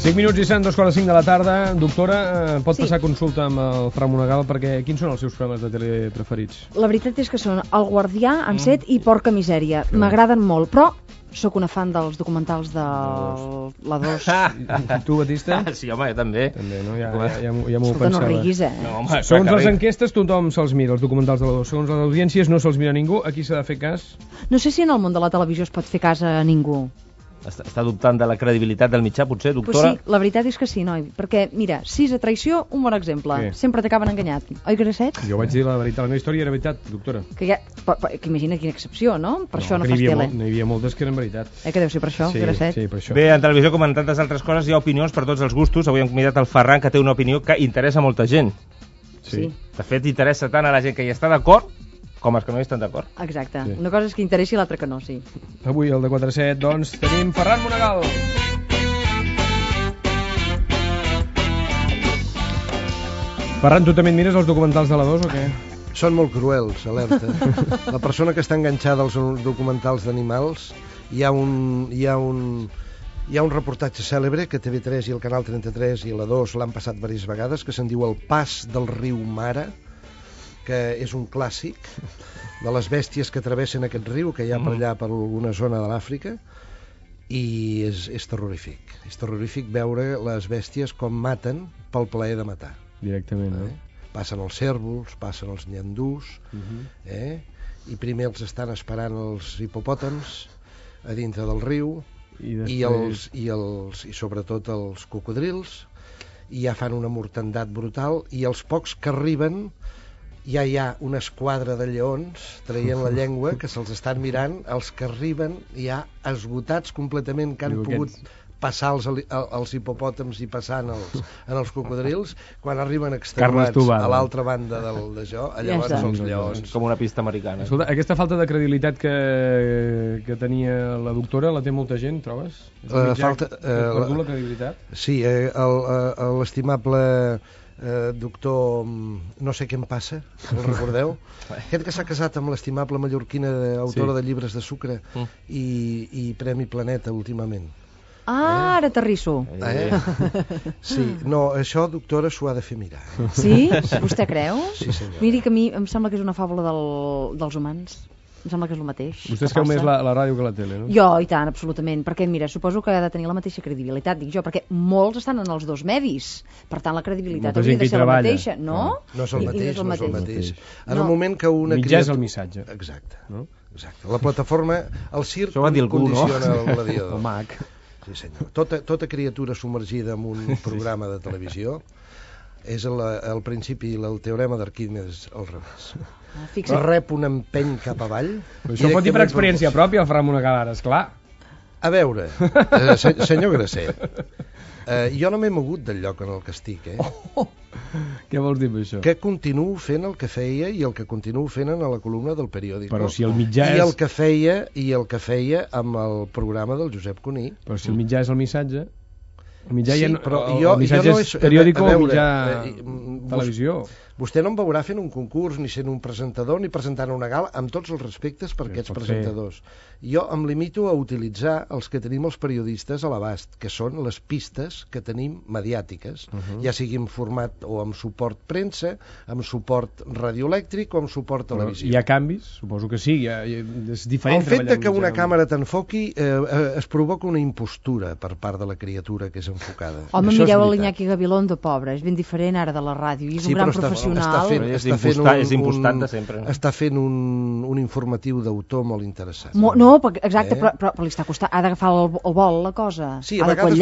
5 minuts i 2:45 de la tarda. Doctora, pot passar consulta amb el Fra Monegal, perquè quins són els seus programes de tele preferits? La veritat és que són El Guardià, Enset i Porca Misèria. M'agraden molt, però sóc una fan dels documentals de la 2. Tu, Batista? Sí, home, jo també. També, no? Ja m'ho Escolta, no pensava. riguis, No, home, Segons les enquestes, tothom se'ls mira, els documentals de la 2. Segons les audiències, no se'ls mira ningú. Aquí s'ha de fer cas. No sé si en el món de la televisió es pot fer cas a ningú. Està dubtant de la credibilitat del mitjà, potser, Pues doctora? sí, la veritat és que sí, noi. Perquè, mira, 6 a traïció, un bon exemple. Què? Sempre t'acaben enganyat. Oi, Grasset? Jo vaig dir la veritat, la meva història era veritat, doctora. Que imagina quina excepció, no? Per això no fas tele. N'hi havia moltes que eren veritat. Que deu ser per això, Sí, Grasset? sí, per això. Bé, en televisió, com en tantes altres coses, hi ha opinions per tots els gustos. Avui hem convidat el Ferran, que té una opinió que interessa molta gent. Sí. De fet, interessa tant a la gent que hi està d'acord com als que no hi estan d'acord. Exacte. Sí. Una cosa és que interessi i l'altra que no, sí. Avui, al de 4-7, doncs, tenim Ferran Monegal. Ferran, tu també et mires els documentals de la 2 o què? Són molt cruels, alerta. La persona que està enganxada als documentals d'animals, hi ha un reportatge cèlebre que TV3 i el Canal 33 i la 2 l'han passat diverses vegades, que se'n diu El pas del riu Mara, que és un clàssic de les bèsties que travessen aquest riu, que hi ha per allà, per alguna zona de l'Àfrica, i és terrorífic. És terrorífic veure les bèsties com maten pel plaer de matar. Directament, no? Passen els cérvols, passen els nyandús, i primer els estan esperant els hipopòtams a dintre del riu, i sobretot els cocodrils, i ja fan una mortandat brutal, i els pocs que arriben ja hi ha una esquadra de lleons traient la llengua que se'ls estan mirant, els que arriben ja esgotats completament, que han pogut passar els hipopòtams i passar en els cocodrils, quan arriben extenuats a l'altra banda d'això, llavors els lleons. Com una pista americana. Escolta, aquesta falta de credibilitat que tenia la doctora la té molta gent, trobes? Perdut la credibilitat? Sí, l'estimable doctor, no sé què em passa, el recordeu? Aquest que s'ha casat amb l'estimable mallorquina, autora de llibres de sucre i Premi Planeta últimament. Ara t'arrisso. Sí, no, això, doctora, s'ho ha de fer mirar. Sí? Vostè creu? Sí, senyor. Miri que a mi em sembla que és una fàbula dels humans. Em sembla que és el mateix. Vostè es creu més la ràdio que la tele, no? Jo, i tant, absolutament. Perquè, mira, suposo que ha de tenir la mateixa credibilitat, dic jo, perquè molts estan en els dos medis. Per tant, la credibilitat hauria de ser la mateixa, no? No és el mateix. En el moment que una mitjà és el missatge. Exacte. La plataforma, el circ condiciona el gladiador. El mag. Sí, senyor. Tota criatura submergida en un programa de televisió és el principi, el teorema d'Arquímedes al revés. Rep un empeny cap avall. Això ho pot dir per experiència pròpia, el Ferran Monegal, ara, esclar. A veure, senyor Grasset, jo no m'he mogut del lloc en el que estic, Què vols dir amb això? Que continuo fent el que feia i el que continuo fent en la columna del periòdic. Però si el mitjà és... I el que feia amb el programa del Josep Cuní. Però si el mitjà és el missatge... El mitjà el missatge és periòdic o mitjà televisió. Vostè no em veurà fent un concurs, ni sent un presentador, ni presentant una gala, amb tots els respectes per aquests presentadors. Jo em limito a utilitzar els que tenim els periodistes a l'abast, que són les pistes que tenim mediàtiques, ja sigui en format o amb suport premsa, amb suport radioelèctric o amb suport televisiu. Hi ha canvis? Suposo que sí, és diferent. El fet que una càmera t'enfoqui es provoca una impostura per part de la criatura que és enfocada. Home, mireu l'Iñaki Gabilondo, pobre, és ben diferent ara de la ràdio, i és un gran professional. És impostat de sempre. Està fent un informatiu d'autor molt interessant. No, exacte, però li està costant. Ha d'agafar el vol, la cosa. Sí, a vegades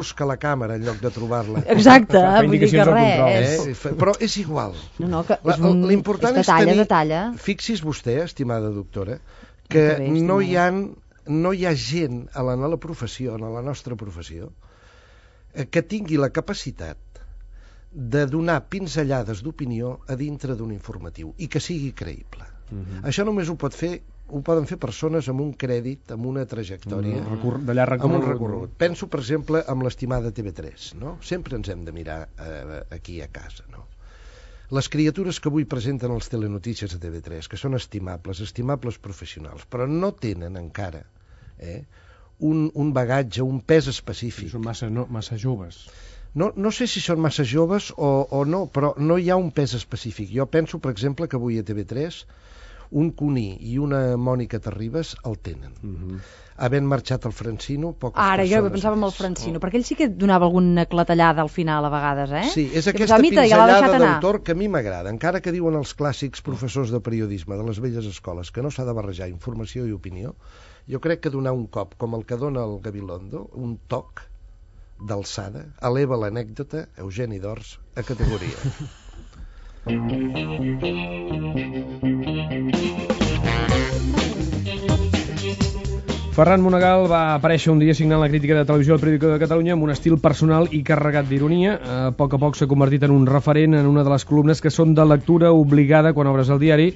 busca la càmera en lloc de trobar-la. Exacte, vull dir que res. Però és igual. L'important és tenir... Fixi's vostè, estimada doctora, que no hi ha gent a la professió, a la nostra professió, que tingui la capacitat de donar pinzellades d'opinió a dintre d'un informatiu i que sigui creïble. Això només ho poden fer persones amb un crèdit, amb una trajectòria, amb un recorregut. Penso, per exemple, amb l'estimada TV3, no? Sempre ens hem de mirar aquí a casa, no? Les criatures que avui presenten els telenotícies a TV3, que són estimables professionals, però no tenen encara un bagatge, un pes específic. Són massa joves. No sé si són massa joves o no, però no hi ha un pes específic. Jo penso, per exemple, que avui a TV3 un Cuní i una Mònica Terribas el tenen. Havent marxat el Francino, poques Ara, persones... jo pensava en el Francino, perquè ell sí que donava alguna clatellada al final a vegades, eh? Sí, és aquesta pinzellada d'autor que a mi m'agrada, encara que diuen els clàssics professors de periodisme de les velles escoles que no s'ha de barrejar informació i opinió. Jo crec que donar un cop, com el que dona el Gabilondo, un toc d'alçada, eleva l'anècdota, Eugeni d'Ors, a categoria. Ferran Monegal va aparèixer un dia signant la crítica de televisió al Periódico de Catalunya amb un estil personal i carregat d'ironia. A poc s'ha convertit en un referent en una de les columnes que són de lectura obligada quan obres el diari.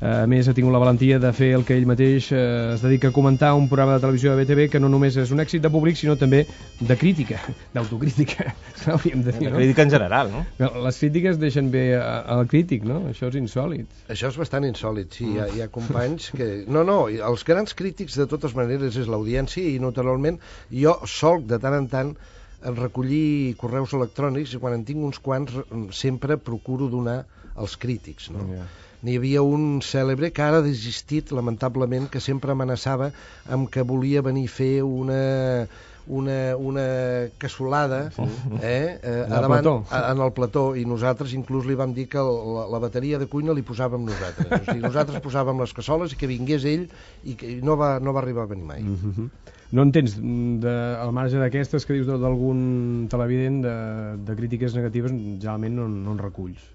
A més, ha tingut la valentia de fer el que ell mateix es dedica a comentar, un programa de televisió de BTV que no només és un èxit de públic, sinó també de crítica, d'autocrítica, hauríem de dir, no? De crítica en general, no? Les crítiques deixen bé al crític, no? Això és insòlid. Això és bastant insòlid, sí. Hi ha companys que... No, els grans crítics, de totes maneres, és l'audiència i, naturalment, jo solc de tant en tant recollir correus electrònics i quan en tinc uns quants sempre procuro donar als crítics, no? N'hi havia un cèlebre que ara ha desistit, lamentablement, que sempre amenaçava amb que volia venir a fer una cassolada en el plató, i nosaltres inclús li vam dir que la bateria de cuina li posàvem nosaltres. O sigui, nosaltres posàvem les cassoles i que vingués ell, i que no va arribar a venir mai. No en tens, al marge d'aquestes que dius d'algun televident, de crítiques negatives, generalment no en reculls.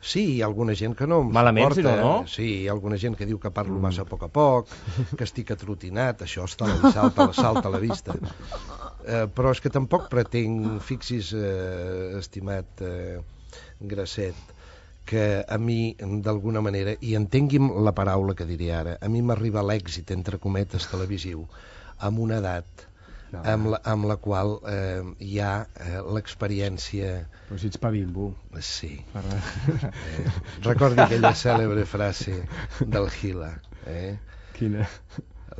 Sí, hi ha alguna gent que no em malament, suporta. Si no? Sí, hi ha alguna gent que diu que parlo massa a poc, que estic atrotinat, això salta a la vista. Però és que tampoc pretenc, fixis, estimat Grasset, que a mi, d'alguna manera, i entengui'm la paraula que diré ara, a mi m'arriba l'èxit, entre cometes, televisiu, amb una edat amb la qual hi ha l'experiència... Però si ets pa bimbo. Sí. Recordi aquella cèlebre frase del Gila. Quina?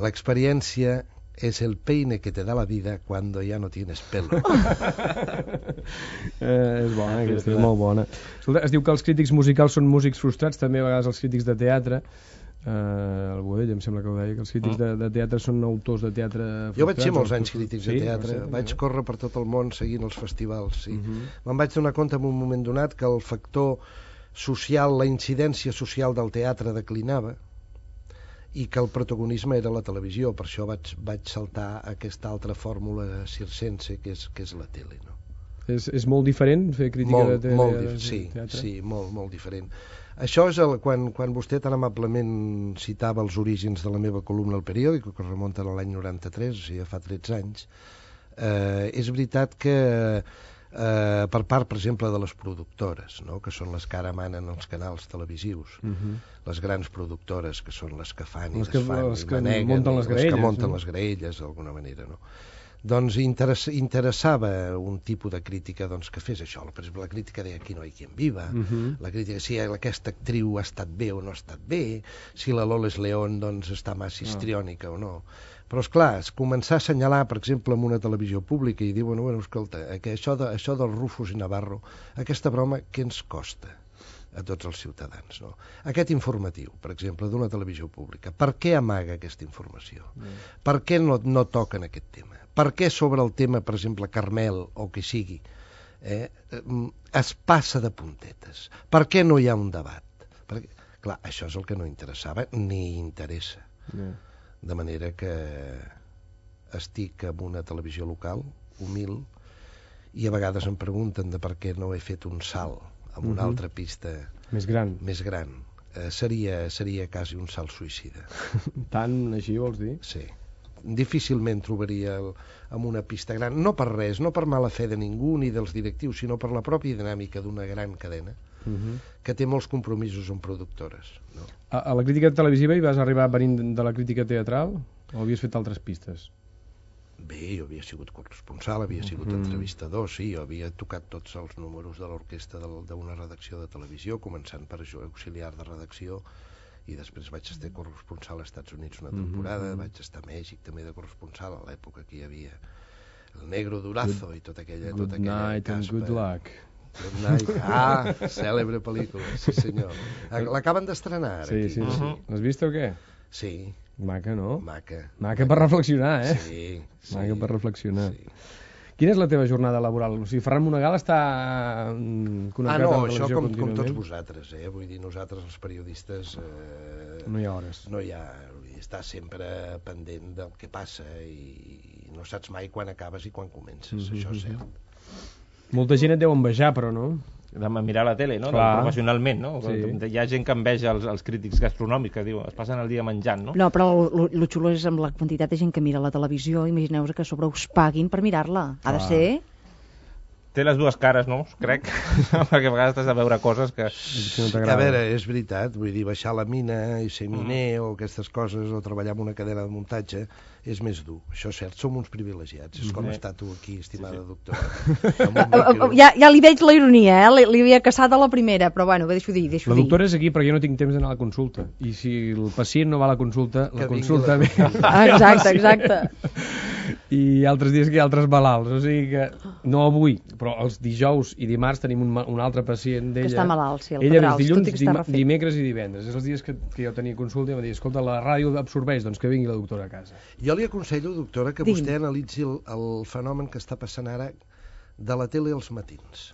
L'experiència es el peine que te da la vida cuando ya no tienes pelo. És bona, aquesta és molt bona. Escolta, es diu que els crítics musicals són músics frustrats, també a vegades els crítics de teatre. El Boadell em sembla que ho deia, que els crítics de teatre són autors de teatre frustrats. Jo vaig ser molts anys crítics de teatre, vaig córrer per tot el món seguint els festivals, sí. Me'n vaig donar compte en un moment donat que el factor social, la incidència social del teatre declinava i que el protagonisme era la televisió, per això vaig saltar a aquesta altra fórmula circense que és la tele, no? És molt diferent fer crítica de teatre? Sí, molt diferent. Això és quan vostè tan amablement citava els orígens de la meva columna al periòdic, que remunta a l'any 93, o sigui, fa 13 anys. És veritat que per part, per exemple, de les productores, no? Que són les que ara manen els canals televisius, les grans productores, que són les que fan i desfan i maneguen, les que munten les graelles, d'alguna manera, no? Doncs interessava un tipus de crítica que fes això. Per exemple, la crítica de Aquí no hay quien viva, la crítica si aquesta actriu ha estat bé o no ha estat bé, si la Loles León està massa histriònica o no. Però, esclar, començar a assenyalar, per exemple, en una televisió pública i dir, bueno, escolta, que això del Rufus i Navarro, aquesta broma, què ens costa a tots els ciutadans, no? Aquest informatiu, per exemple, d'una televisió pública, per què amaga aquesta informació? Per què no toquen aquest tema? Per què sobre el tema, per exemple, Carmel o que sigui, es passa de puntetes? Per què no hi ha un debat? Perquè, clar, això és el que no interessava ni interessa. De manera que estic en una televisió local, humil, i a vegades em pregunten de per què no he fet un salt amb una altra pista més gran. Seria quasi un salt suïcida. Tant així vols dir? Sí. Difícilment trobaria amb una pista gran, no per res, no per mala fe de ningú ni dels directius, sinó per la pròpia dinàmica d'una gran cadena que té molts compromisos amb productores, no? A la crítica televisiva hi vas arribar venint de la crítica teatral o havies fet altres pistes? Bé, jo havia sigut corresponsal, havia sigut entrevistador, sí, jo havia tocat tots els números de l'orquestra d'una redacció de televisió, començant per auxiliar de redacció i després vaig estar corresponsal als Estats Units una temporada, vaig estar a Mèxic també de corresponsal, a l'època que hi havia el Negro Durazo i tota aquella Good night and good luck. Good night. Cèlebre pel·lícula, sí senyor. L'acaben d'estrenar ara. Sí. L'has vist o què? Sí. Maca, no? Maca per reflexionar, eh? Sí. Maca per reflexionar. Sí. Quina és la teva jornada laboral? O sigui, Ferran Monegal està connectat amb la televisió això com contínuament? tots vosaltres, Vull dir, nosaltres els periodistes... No hi ha hores. No hi ha... Està sempre pendent del que passa i no saps mai quan acabes i quan comences, això és cert. Molta gent et deu envejar, però no? De mirar la tele, no? Professionalment, no? Sí. Hi ha gent que enveja els crítics gastronòmics, que diuen, es passen el dia menjant, no? No, però lo xulo és amb la quantitat de gent que mira la televisió, imagineu-vos que a sobre us paguin per mirar-la. Ha de ser... Té les dues cares, no? Crec, perquè a vegades has de veure coses que... A veure, és veritat, vull dir, baixar la mina i ser miner o aquestes coses, o treballar en una cadena de muntatge, és més dur. Això és cert, som uns privilegiats. És com estar tu aquí, estimada doctora. Ja li veig la ironia, li havia caçat a la primera, però bueno, deixo dir. La doctora és aquí perquè jo no tinc temps d'anar a la consulta. I si el pacient no va a la consulta, la consulta ve. Exacte. I altres dies que hi ha altres malalts, o sigui que no avui, però els dijous i dimarts tenim un altre pacient d'ella. Que està malalt, sí, el Pedrals, dilluns, dimecres i divendres. És els dies que jo tenia consulta i em va dir, escolta, la ràdio absorbeix, doncs que vingui la doctora a casa. Jo li aconsello, doctora, que vostè analitzi el fenomen que està passant ara de la tele als matins.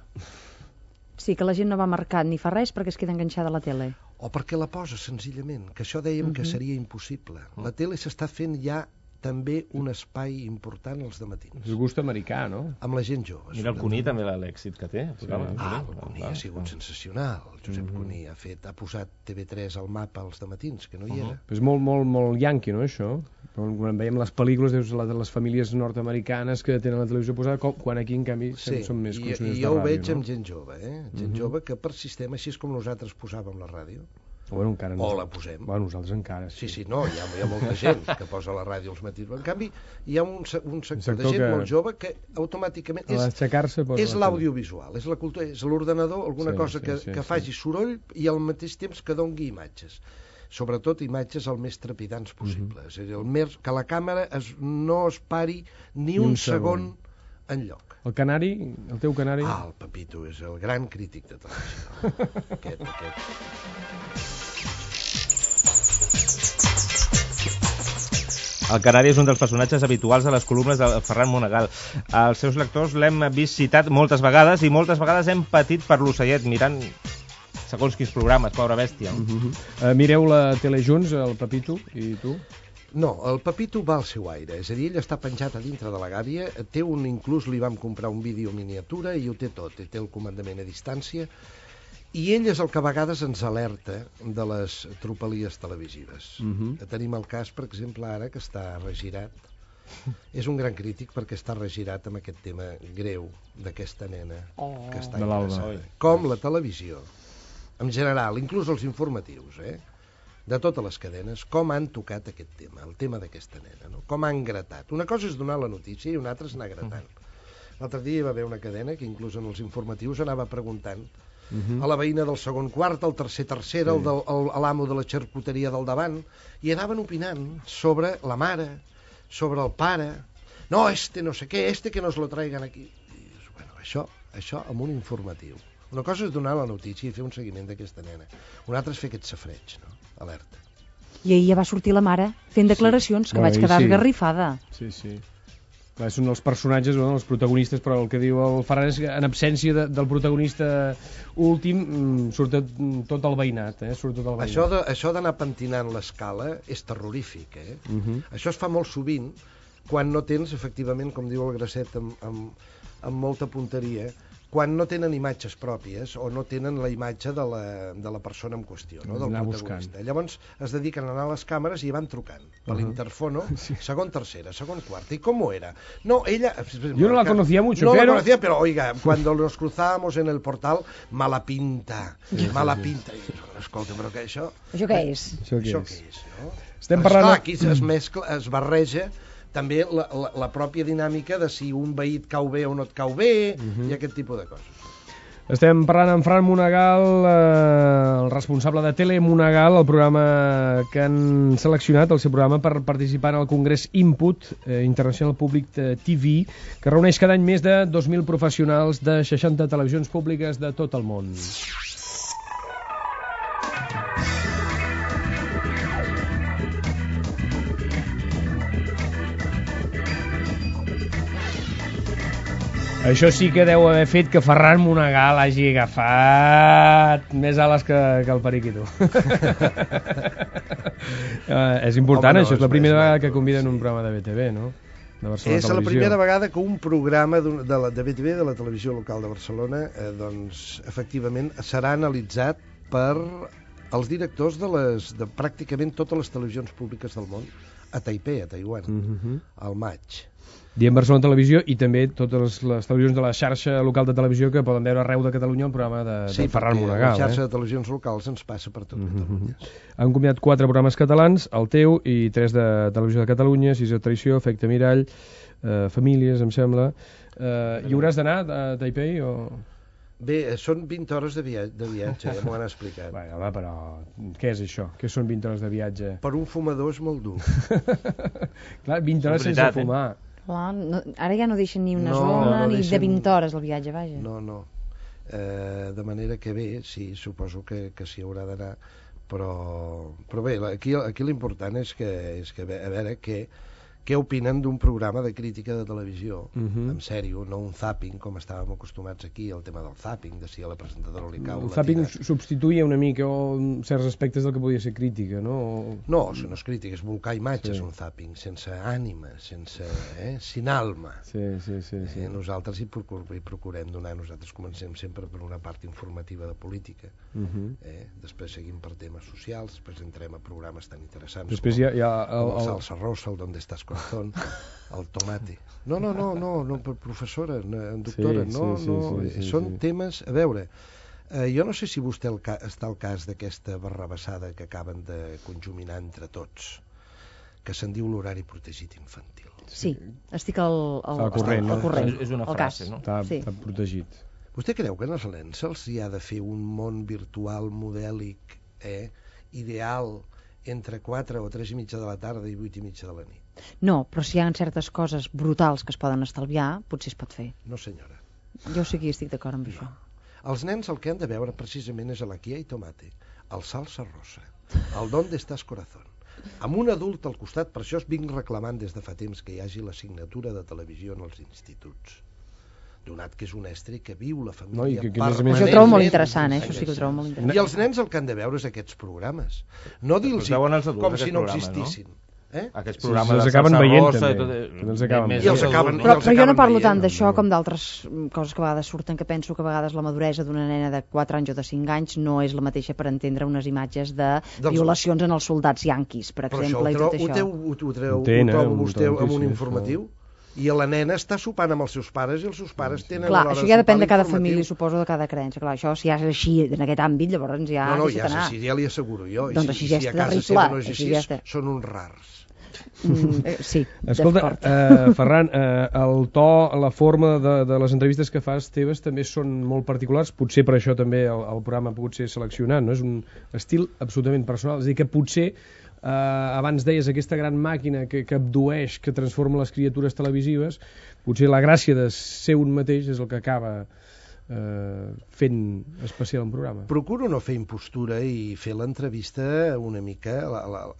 Sí, que la gent no va marcat ni fa res perquè es queda enganxada a la tele. O perquè la posa, senzillament, que això dèiem que seria impossible. La tele s'està fent ja també un espai important als dematins. És gust americà, no? Amb la gent jove. Mira el Cuní també l'èxit que té. El Cuní ha sigut sensacional. El Josep Cuní ha posat TV3 al mapa als dematins, que no hi era. És molt yanqui, no, això? Quan veiem les pel·lícules de les famílies nord-americanes que tenen la televisió posada, quan aquí, en canvi, som més consumidors de ràdio. I jo ho veig amb gent jove, gent jove que per sistema, així és com nosaltres posàvem la ràdio, Bueno, encara no. O la posem. Bueno, nosaltres encara, sí. Sí, no, hi ha molta gent que posa la ràdio als matins. En canvi, hi ha un sector de gent molt jove que automàticament és l'audiovisual, és la cultura, és l'ordenador, alguna cosa que faci soroll i al mateix temps que dongui imatges. Sobretot imatges el més trepidants possible. És a dir, que la càmera no es pari ni un segon enlloc. El canari, el teu canari... El Pepito és el gran crític de televisió. Aquest. El canari és un dels personatges habituals de les columnes de Ferran Monegal. Els seus lectors l'hem vist citat moltes vegades i moltes vegades hem patit per l'ocellet mirant segons quins programes, pobra bèstia. Mireu la tele junts, el Pepito i tu? No, el Pepito va al seu aire, és a dir, ell està penjat a dintre de la gàbia, inclús li vam comprar un vídeo miniatura i ho té tot, té el comandament a distància, i ell és el que a vegades ens alerta de les tropelies televisives. Tenim el cas, per exemple, ara, que està regirat. És un gran crític perquè està regirat amb aquest tema greu d'aquesta nena que està interessada. Com la televisió, en general, inclús els informatius, de totes les cadenes, com han tocat aquest tema, el tema d'aquesta nena, no? Com han gratat. Una cosa és donar la notícia i una altra és anar gratant. L'altre dia hi va haver una cadena que inclús en els informatius anava preguntant a la veïna del segon quart, al tercera, a l'amo de la xarcuteria del davant, i anaven opinant sobre la mare, sobre el pare. No, no sé què, que nos lo traigan aquí. I dius, bueno, això amb un informatiu. Una cosa és donar la notícia i fer un seguiment d'aquesta nena. Una altra és fer aquest safreig, no? Alerta. I ahir ja va sortir la mare fent declaracions, que vaig quedar esgarrifada. Sí. Són els personatges, els protagonistes, però el que diu el Ferran és que en absència del protagonista últim surt tot el veïnat. Això d'anar pentinant l'escala és terrorífic. Això es fa molt sovint quan no tens, efectivament, com diu el Grasset amb molta punteria, quan no tenen imatges pròpies o no tenen la imatge de la persona en qüestió, no? Del protagonista. Llavors es dediquen a anar a les càmeres i van trucant per l'interfono, segon, tercera, segon, quarta. ¿Y cómo era? No, ella... Yo no la conocía mucho, no pero... la conocía, pero oiga, cuando nos cruzábamos en el portal, mala pinta. I escolta, però què això? Això què és? Això què és, no? Estem parlant... Esclar, aquí es mescla, es barreja també la pròpia dinàmica de si un veí et cau bé o no et cau bé i aquest tipus de coses. Estem parlant amb Fran Monegal, el responsable de Tele Monegal, el programa que han seleccionat, el seu programa per participar en el Congrés Input International Public TV, que reuneix cada any més de 2.000 professionals de 60 televisions públiques de tot el món. Això sí que deu haver fet que Ferran Monegal hagi agafat més ales que el periquito. És important, això és la primera vegada que conviden un programa de BTV, no? De Barcelona És Televisió. la primera vegada que un programa de BTV, de la televisió local de Barcelona, doncs, efectivament, serà analitzat per els directors de pràcticament totes les televisions públiques del món a Taipei, a Taiwan, al maig. Diem Barcelona Televisió i també totes les televisions de la xarxa local de televisió que poden veure arreu de Catalunya el programa de Ferran Monegal. Sí, la xarxa de televisions locals ens passa per tot Catalunya. Han convidat 4 programes catalans, el teu, i 3 de Televisió de Catalunya, 6 de Traïció, Efecte Mirall, Famílies, em sembla. Hi hauràs d'anar a Taipei o...? Bé, són 20 hores de viatge, ja m'ho han explicat. Bé, home, però què és això? Què són 20 hores de viatge? Per un fumador és molt dur. Clar, 20 hores sense fumar. Clar, no, ara ja no deixen ni una zona ni de 20 hores el viatge, vaja. No. De manera que bé, sí, suposo que s'hi haurà d'anar, però bé, aquí l'important és que a veure què opinen d'un programa de crítica de televisió, en sèrio, no un zapping, com estàvem acostumats aquí, el tema del zapping, de si a la presentadora li cau... El zapping substituïa una mica certs aspectes del que podia ser crítica, no? No, això no és crítica, és volcar imatges, un zapping, sense ànima, sin alma. Sí. Nosaltres hi procurem donar, nosaltres comencem sempre per una part informativa de política, després seguim per temes socials, després entrem a programes tan interessants com el Salsa Rosa, el Donde Estás Corazón, el Tomate. No, professora, doctora, són temes... A veure, jo no sé si vostè està al cas d'aquesta barrabassada que acaben de conjuminar entre tots, que se'n diu l'horari protegit infantil. Sí, estic al corrent. És una frase, no? Està protegit. Vostè creu que als nens se'ls hi ha de fer un món virtual modèlic, ideal, entre 4 o 3 i mitja de la tarda i 8 i mitja de la nit? No, però si hi ha certes coses brutals que es poden estalviar, potser es pot fer. No, senyora. Jo sí que estic d'acord amb això. Els nens el que han de veure precisament és la Kia i Tomate, el Salsa Rosa, el Donde Estás Corazón. Amb un adult al costat, per això es vinc reclamant des de fa temps que hi hagi l'assignatura de televisió en els instituts. Donat que és un estri que viu la família permanentment. Això ho trobo molt interessant, això sí que ho trobo molt interessant. I els nens el que han de veure és aquests programes. No dir-los com si no existissin. Aquests programes els acaben veient també. Però jo no parlo tant d'això com d'altres coses que a vegades surten, que penso que a vegades la maduresa d'una nena de 4 anys o de 5 anys no és la mateixa per entendre unes imatges de violacions en els soldats yanquis, per exemple, i tot això. Ho trobo vostè amb un informatiu? I la nena està sopant amb els seus pares i els seus pares tenen l'hora de sopar. Clar, això ja depèn de cada família, suposo, de cada creença. Clar, això, si ja és així, en aquest àmbit, llavors ja... No, ja és així, ja li asseguro jo. Doncs així ja és terrible. Són uns rars. Sí, escolta, Ferran, el to, la forma de les entrevistes que fas teves també són molt particulars, potser per això també el programa ha pogut ser seleccionat, no? És un estil absolutament personal, és a dir, que potser abans deies aquesta gran màquina que abdueix, que transforma les criatures televisives, potser la gràcia de ser un mateix és el que acaba fent especial un programa. Procuro no fer impostura i fer l'entrevista una mica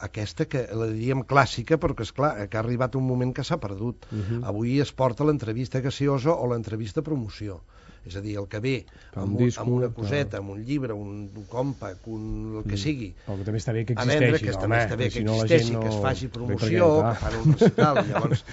aquesta que la diríem clàssica, però que esclar, que ha arribat un moment que s'ha perdut. Avui es porta l'entrevista gaseosa o l'entrevista promoció. És a dir, el que ve amb una coseta, amb un llibre, un còmpac, el que sigui, que també està bé que existeixi, que existeixi, que es faci promoció, que fan un recital. Llavors,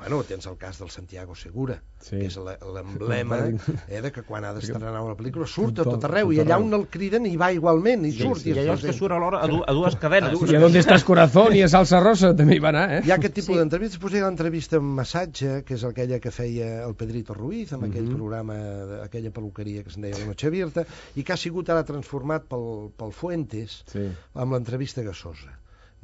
bueno, tens el cas del Santiago Segura, que és l'emblema de que quan ha d'estrenar una pel·lícula surt a tot arreu, i allà on el criden hi va igualment, i surt. I allò que surt alhora a dues cadenes. I a Donde Estás Corazón i a Salsa Rosa també hi va anar, Hi ha aquest tipus d'entrevistes. Després hi ha l'entrevista amb massatge, que és aquella que feia el Pedrito Ruiz, amb aquell programa, aquella peluqueria que se'n deia La Noche Abierta, i que ha sigut ara transformat pel Fuentes amb l'entrevista gasosa.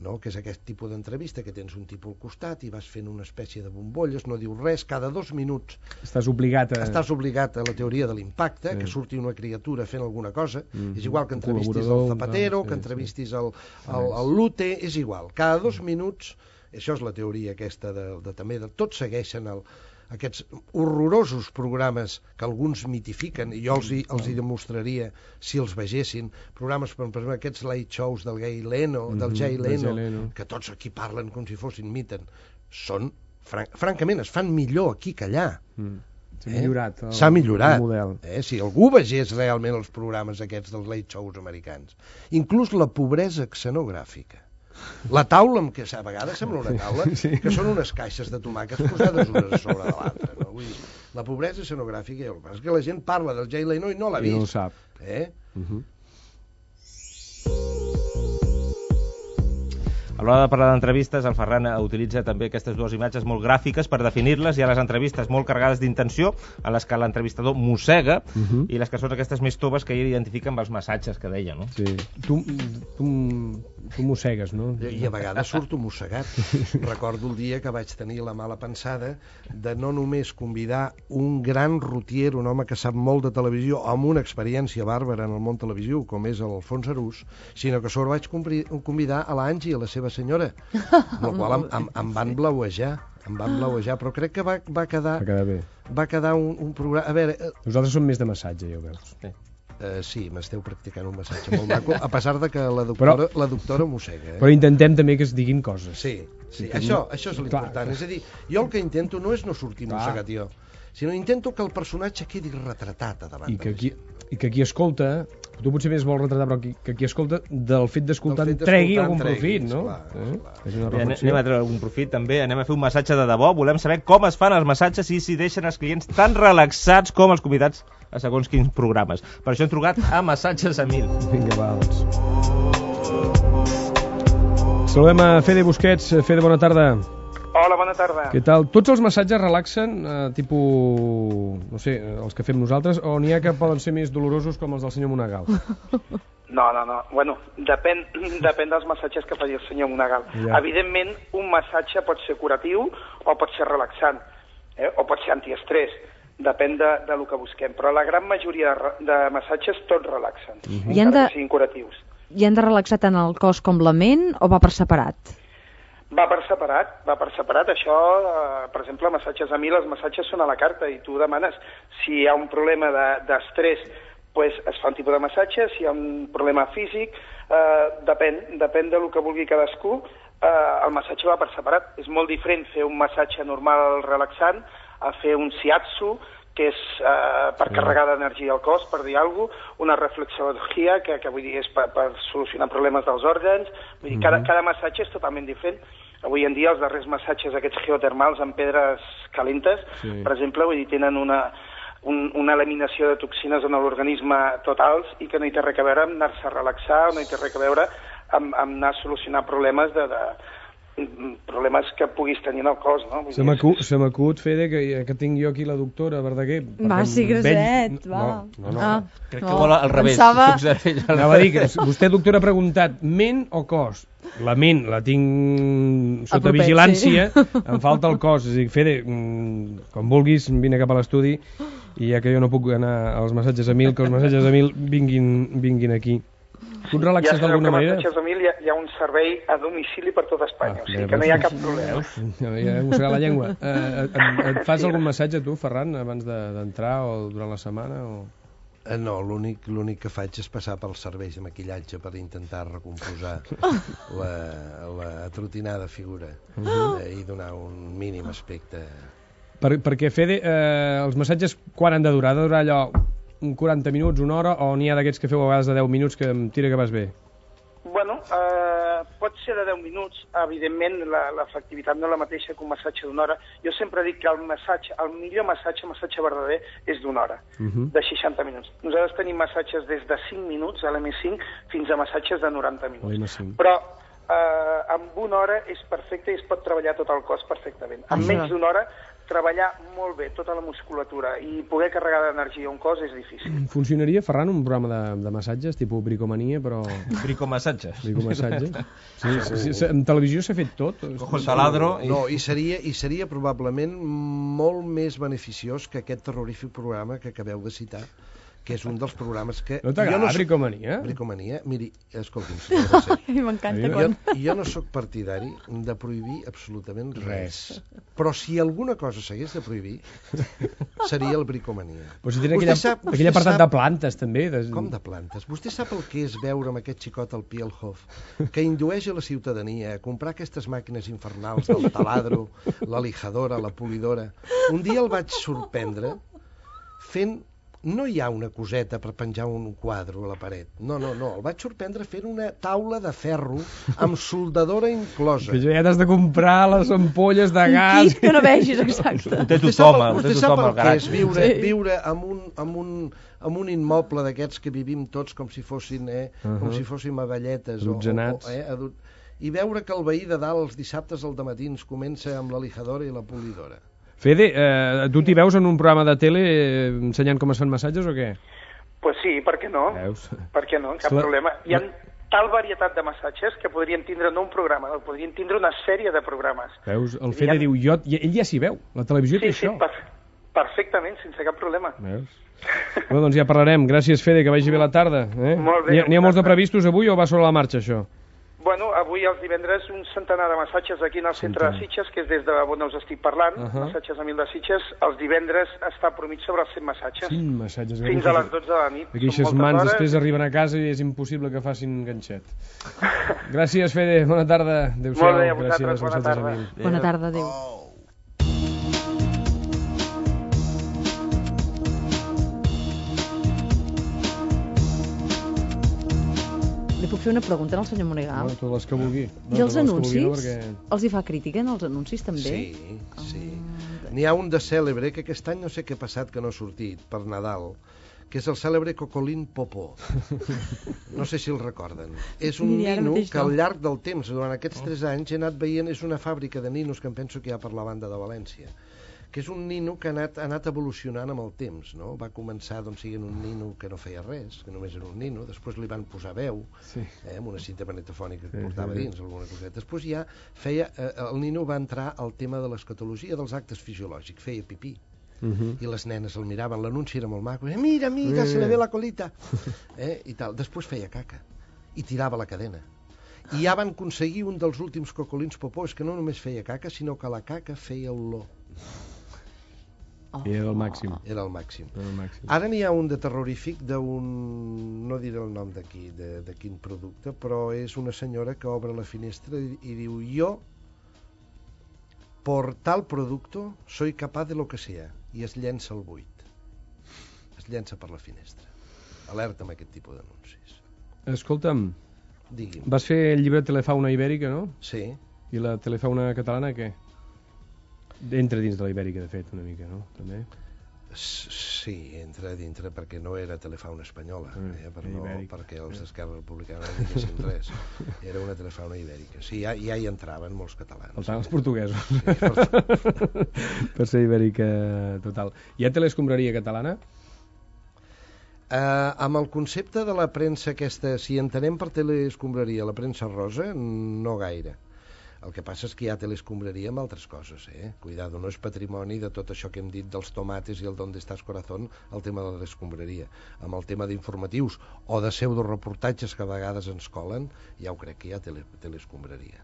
no? Que és aquest tipus d'entrevista que tens un tipus al costat i vas fent una espècie de bombolles, no dius res, cada 2 minuts estàs obligat a la teoria de l'impacte, que surti una criatura fent alguna cosa, és igual que entrevistis el Zapatero, que entrevistis el Lute, és igual, cada 2 minuts, això és la teoria aquesta també, tots segueixen aquests horrorosos programes que alguns mitifiquen, i jo els hi demostraria si els vegessin, programes, per exemple, aquests late shows del Jay Leno, que tots aquí parlen com si fossin miten, són, francament, es fan millor aquí que allà. S'ha millorat el model. Si algú vegés realment els programes aquests dels late shows americans, inclús la pobresa escenogràfica, la taula, que a vegades sembla una taula, que són unes caixes de tomàquets posades unes a sobre de l'altra, no? Vull dir, la pobresa escenogràfica, el que passa és que la gent parla del Jay Leno i no l'ha vist. I no ho sap. A l'hora de parlar d'entrevistes, el Ferran utilitza també aquestes dues imatges molt gràfiques per definir-les. Hi ha les entrevistes molt carregades d'intenció, en les que l'entrevistador mossega, i les que són aquestes més toves que identifiquen els massatges que deia, no? Sí. Tu mossegues, no? I a vegades surto mossegat. Recordo el dia que vaig tenir la mala pensada de no només convidar un gran rotier, un home que sap molt de televisió, amb una experiència bàrbara en el món televisiu, com és l'Alfons Arús, sinó que sobre vaig convidar a l'Angie, a la seva senyora, amb la qual em van blauejar, però crec que va quedar un programa... A veure... Nosaltres som més de massatge, ja ho veus. Sí, m'esteu practicant un massatge molt maco, a pesar de que la doctora mossega. Però intentem també que es diguin coses. Sí, això és l'important. És a dir, jo el que intento no és no sortir mossegat jo, sinó intento que el personatge quedi retratat a davant de la gent. I que qui escolta, tu potser més vols retratar, però que qui escolta, del fet d'escoltar tregui algun profit, no? Anem a treure algun profit, també. Anem a fer un massatge de debò. Volem saber com es fan els massatges i si deixen els clients tan relaxats com els convidats a segons quins programes. Per això hem trucat a Massatges a 1000. Vinga, va, doncs. Saludem a Fede Busquets. Fede, bona tarda. Hola, bona tarda. Què tal? Tots els massatges relaxen, tipus, no sé, els que fem nosaltres, o n'hi ha que poden ser més dolorosos com els del senyor Monagal? No. Bueno, depèn dels massatges que faci el senyor Monagal. Ja. Evidentment, un massatge pot ser curatiu o pot ser relaxant, o pot ser antiestrès. Depèn de lo que busquem. Però la gran majoria de massatges tots relaxen, encara que siguin curatius. I han de relaxar tant el cos com la ment o va per separat? Va per separat. Això, per exemple, massatges a 1000, els massatges són a la carta i tu demanes si hi ha un problema d'estrès, pues es fa un tipus de massatge, si hi ha un problema físic, depèn del que vulgui cadascú, el massatge va per separat. És molt diferent fer un massatge normal relaxant a fer un shiatsu, que és per carregar d'energia al cos, per dir alguna cosa, una reflexologia, que vull dir és per solucionar problemes dels òrgans. Vull dir, cada massatge és totalment diferent. Avui en dia els darrers massatges aquests geotermals amb pedres calentes, per exemple, vull dir, tenen una eliminació de toxines en l'organisme totals i que no hi té res a veure amb anar-se a relaxar, no hi té res a veure amb anar a solucionar problemes problemes que puguis tenir en el cos, no? Se m'acut, Fede, que tinc jo aquí la doctora Verdaguer. Va, sí, graset, va. No. Crec que vol al revés. Anava a dir que vostè, doctora, ha preguntat ment o cos? La ment la tinc sota vigilància, em falta el cos. És a dir, Fede, com vulguis, vine cap a l'estudi i ja que jo no puc anar als massatges a 1000, que els massatges a 1000 vinguin aquí. Tu et relaxes d'alguna manera? Ja sabeu que a Massatges a 1000 hi ha un servei a domicili per tot Espanya, o sigui que no hi ha cap problema. Ja he mossegat la llengua. Et fas algun massatge tu, Ferran, abans d'entrar o durant la setmana? No, l'únic que faig és passar pels serveis de maquillatge per intentar recomposar la atrotinada figura i donar un mínim aspecte. Perquè, Fede, els massatges quan han de durar? Ha de durar allò 40 minuts, una hora, o n'hi ha d'aquests que feu a vegades de 10 minuts que em tira que vas bé? Bueno, pot ser de 10 minuts. Evidentment, l'efectivitat no és la mateixa que un massatge d'una hora. Jo sempre dic que el millor massatge verdader, és d'una hora, de 60 minuts. Nosaltres tenim massatges des de 5 minuts, a l'M5, fins a massatges de 90 minuts. Però amb una hora és perfecte i es pot treballar tot el cos perfectament. En menys d'una hora treballar molt bé tota la musculatura i poder carregar d'energia un cos és difícil. Funcionaria, Ferran, un programa de massatges, tipus bricomania, però... Bricomassatges. Bricomassatges. Sí, en televisió s'ha fet tot. Cojo el taladro... No, i seria probablement molt més beneficiós que aquest terrorífic programa que acabeu de citar, que és un dels programes que... No t'agrada Bricomania? Bricomania, miri, escolti'm, senyora Mercè. A mi m'encanta quan... Jo no sóc partidari de prohibir absolutament res. Però si alguna cosa s'hagués de prohibir, seria el Bricomania. Però si tenen aquell apartat de plantes, també. Com de plantes? Vostè sap el que és veure amb aquest xicot al Pielhof, que indueix a la ciutadania a comprar aquestes màquines infernals del taladro, la lijadora, la polidora. Un dia el vaig sorprendre fent... No hi ha una coseta per penjar un quadre a la paret. No. El vaig sorprendre fent una taula de ferro amb soldadora inclosa. Que ja t'has de comprar les ampolles de gas. Un kit que no vegis, exacte. Ho té tothom al garatge. Sí. Viure amb un immoble d'aquests que vivim tots com si fossin com si fóssim avelletes. I veure que el veí de dalt els dissabtes al dematins comença amb la lijadora i la polidora. Fede, tu t'hi veus en un programa de tele ensenyant com es fan massatges o què? Pues sí, per què no? Veus? Per què no? Cap problema. Hi ha tal varietat de massatges que podrien tindre no un programa, podrien tindre una sèrie de programes. Veus? El Fede diu, ell ja s'hi veu, la televisió té això. Sí, perfectament, sense cap problema. Veus? Bueno, doncs ja parlarem. Gràcies, Fede, que vagi bé la tarda. Molt bé. N'hi ha molts de previstos avui o va sobre la marxa, això? Bueno, avui els divendres un centenar de massatges aquí en el centre de Sitges, que és des de on us estic parlant, massatges a 1000 de Sitges. Els divendres està promig sobre els 100 massatges. 100 massatges. Fins a les 12 de la nit. Aquelles mans després arriben a casa i és impossible que facin ganxet. Gràcies, Fede. Bona tarda. Adéu-siau. Molt bé, a vosaltres. Bona tarda. Bona tarda, adéu. Li puc fer una pregunta al senyor Monegal? No, totes les que vulgui. I els anuncis? Els hi fa crítica en els anuncis també? Sí. N'hi ha un de cèlebre que aquest any no sé què ha passat que no ha sortit per Nadal, que és el cèlebre Cocolín Popó. No sé si el recorden. És un nino que al llarg del temps, durant aquests 3 anys, he anat veient, és una fàbrica de ninos que em penso que hi ha per la banda de València, que és un nino que ha anat evolucionant amb el temps, no? Va començar sent un nino que no feia res, que només era un nino, després li van posar veu, amb una cinta magnetofònica que portava dins, alguna coseta. Després ja el nino va entrar al tema de l'escatologia dels actes fisiològics, feia pipí. I les nenes el miraven, l'anunci era molt maco, mira, se le ve la colita, i tal. Després feia caca i tirava la cadena. I ja van aconseguir un dels últims cocolins popós, que no només feia caca, sinó que la caca feia olor. Era el màxim. Era el màxim. Ara n'hi ha un de terrorífic d'un... no diré el nom d'aquí, de quin producte, però és una senyora que obre la finestra i diu, jo por tal producto soy capaz de lo que sea, i es llença al buit. Es llença per la finestra. Alerta amb aquest tipus d'anuncis. Escolta'm, digui'm. Vas fer el llibre Telefauna Ibèrica, no? Sí. I la Telefauna catalana, què? Entra dins de la Ibèrica, de fet, una mica, no? També? Sí, entra dintre perquè no era Telefauna espanyola, perquè els d'Esquerra Republicana no diguessin res. Era una Telefauna ibèrica. Sí, ja hi entraven molts catalans. Per tant, els portuguesos. Per ser ibèrica total. Hi ha teleescombraria catalana? Amb el concepte de la premsa aquesta, si entenem per teleescombraria la premsa rosa, no gaire. El que passa és que hi ha teleescombraria amb altres coses, Cuidado, no és patrimoni de tot això que hem dit dels tomates i el d'on estàs corazón, el tema de l'escombraria. Amb el tema d'informatius o de pseudoreportatges que a vegades ens colen, ja ho crec que hi ha teleescombraria.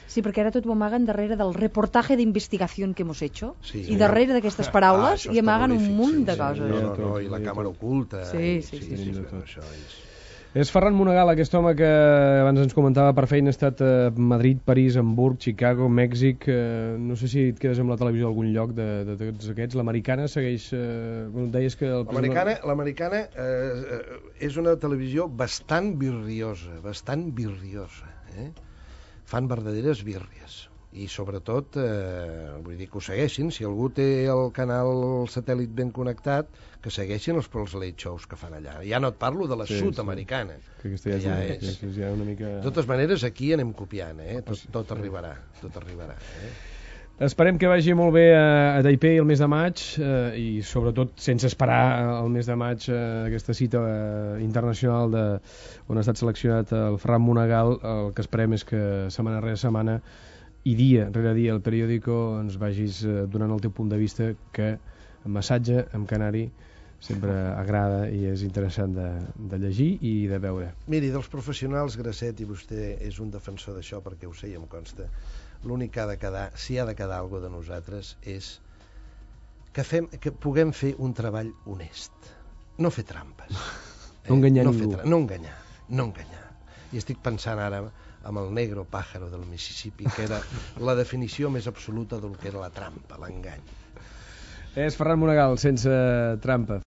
Sí, perquè ara tot ho amaguen darrere del reportatge d'investigació que hemos hecho, i darrere d'aquestes paraules hi amaguen un munt de coses. No, i la càmera oculta. Sí. Això és... És Ferran Monegal, aquest home que abans ens comentava per feina, ha estat a Madrid, París, Hamburg, Chicago, Mèxic... No sé si et quedes amb la televisió d'algun lloc de tots aquests. L'Americana segueix... Deies que... L'Americana és una televisió bastant birriosa, Fan verdaderes bírries. I sobretot, vull dir que ho segueixin, si algú té el canal satèl·lit ben connectat, que segueixin els late shows que fan allà. Ja no et parlo de la sud-americana. Que ja una mica... De totes maneres, aquí anem copiant, tot arribarà. Esperem que vagi molt bé a Taipei el mes de maig i sobretot sense esperar el mes de maig aquesta cita internacional on ha estat seleccionat el Ferran Monegal. El que esperem és que setmana rere setmana i dia rere dia el periòdico ens vagis donant el teu punt de vista, que massatge amb canari sempre agrada i és interessant de llegir i de veure. Miri, dels professionals, Grasset, i vostè és un defensor d'això perquè ho sé i em consta, l'únic que ha de quedar, si ha de quedar alguna de nosaltres, és que puguem fer un treball honest. No fer trampes. No enganyar ningú. No enganyar. I estic pensant ara amb el negro pájaro del Mississippi, que era la definició més absoluta del que era la trampa, l'engany. És Ferran Monegal, sense trampa.